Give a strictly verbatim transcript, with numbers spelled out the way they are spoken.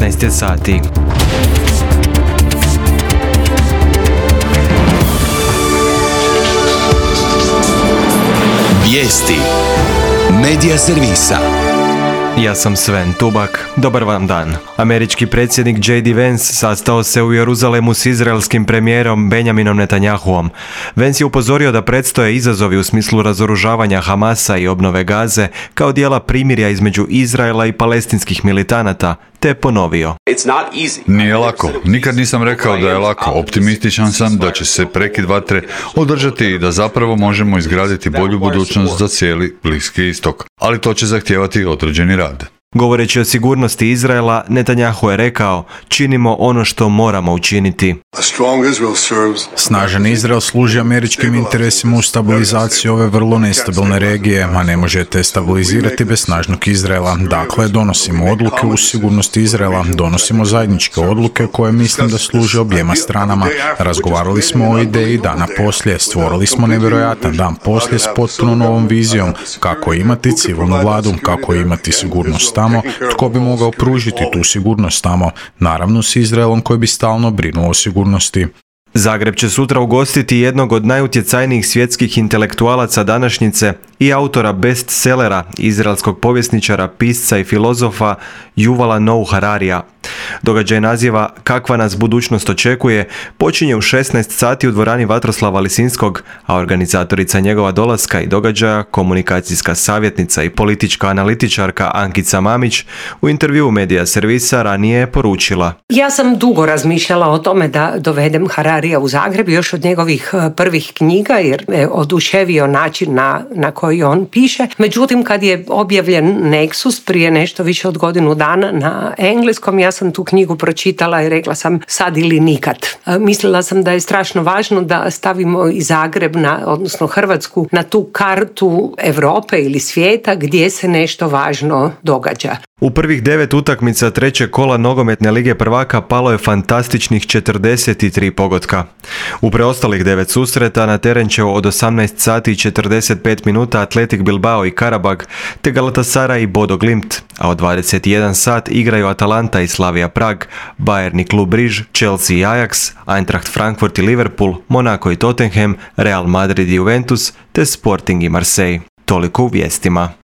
devetnaest je sati. Vijesti Medija servisa. Ja sam Sven Tubak. Dobar vam dan. Američki predsjednik J D Vance sastao se u Jeruzalemu s izraelskim premijerom Benjaminom Netanjahuom. Vance je upozorio da predstoje izazovi u smislu razoružavanja Hamasa i obnove Gaze kao dijela primirja između Izraela i palestinskih militanata, te ponovio: Nije lako. Nikad nisam rekao da je lako. Optimističan sam da će se prekid vatre održati i da zapravo možemo izgraditi bolju budućnost za cijeli Bliski istok. Ali to će zahtijevati određeni rad. Govoreći o sigurnosti Izraela, Netanjahu je rekao: činimo ono što moramo učiniti. Snažan Izrael služi američkim interesima u stabilizaciji ove vrlo nestabilne regije, a ne možete stabilizirati bez snažnog Izraela. Dakle, donosimo odluke u sigurnosti Izraela, donosimo zajedničke odluke koje mislim da služe objema stranama. Razgovarali smo o ideji dana poslije, stvorili smo nevjerojatan dan poslije s potpuno novom vizijom kako imati civilnu vladu, kako imati sigurnost tamo, tko bi mogao pružiti tu sigurnost tamo, naravno s Izraelom koji bi stalno brinuo o sigurnosti. Zagreb će sutra ugostiti jednog od najutjecajnijih svjetskih intelektualaca današnjice i autora bestsellera, izraelskog povjesničara, pisca i filozofa Yuvala Noah Hararija. Događaj naziva Kakva nas budućnost očekuje počinje u šesnaest sati u dvorani Vatroslava Lisinskog, a organizatorica njegova dolaska i događaja, komunikacijska savjetnica i politička analitičarka Ankica Mamić, u intervjuu Medija servisa ranije je poručila: Ja sam dugo razmišljala o tome da dovedem Hararija u Zagreb, još od njegovih prvih knjiga, jer me oduševio način na, na koji on piše. Međutim, kad je objavljen Nexus prije nešto više od godinu dana na engleskom, ja sam tu knjigu pročitala i rekla sam sad ili nikad. Mislila sam da je strašno važno da stavimo i Zagreb, na, odnosno Hrvatsku, na tu kartu Europe ili svijeta gdje se nešto važno događa. U prvih devet utakmica trećeg kola nogometne lige prvaka palo je fantastičnih četrdeset tri pogotka. U preostalih devet susreta na teren će od osamnaest sati i četrdeset pet minuta Atletik Bilbao i Karabag, te Galatasaray i Bodo Glimt, a od dvadeset jedan sat igraju Atalanta i Slavia Prag, Bayern i Klub Riž, Chelsea i Ajax, Eintracht Frankfurt i Liverpool, Monaco i Tottenham, Real Madrid i Juventus, te Sporting i Marseille. Toliko u vijestima.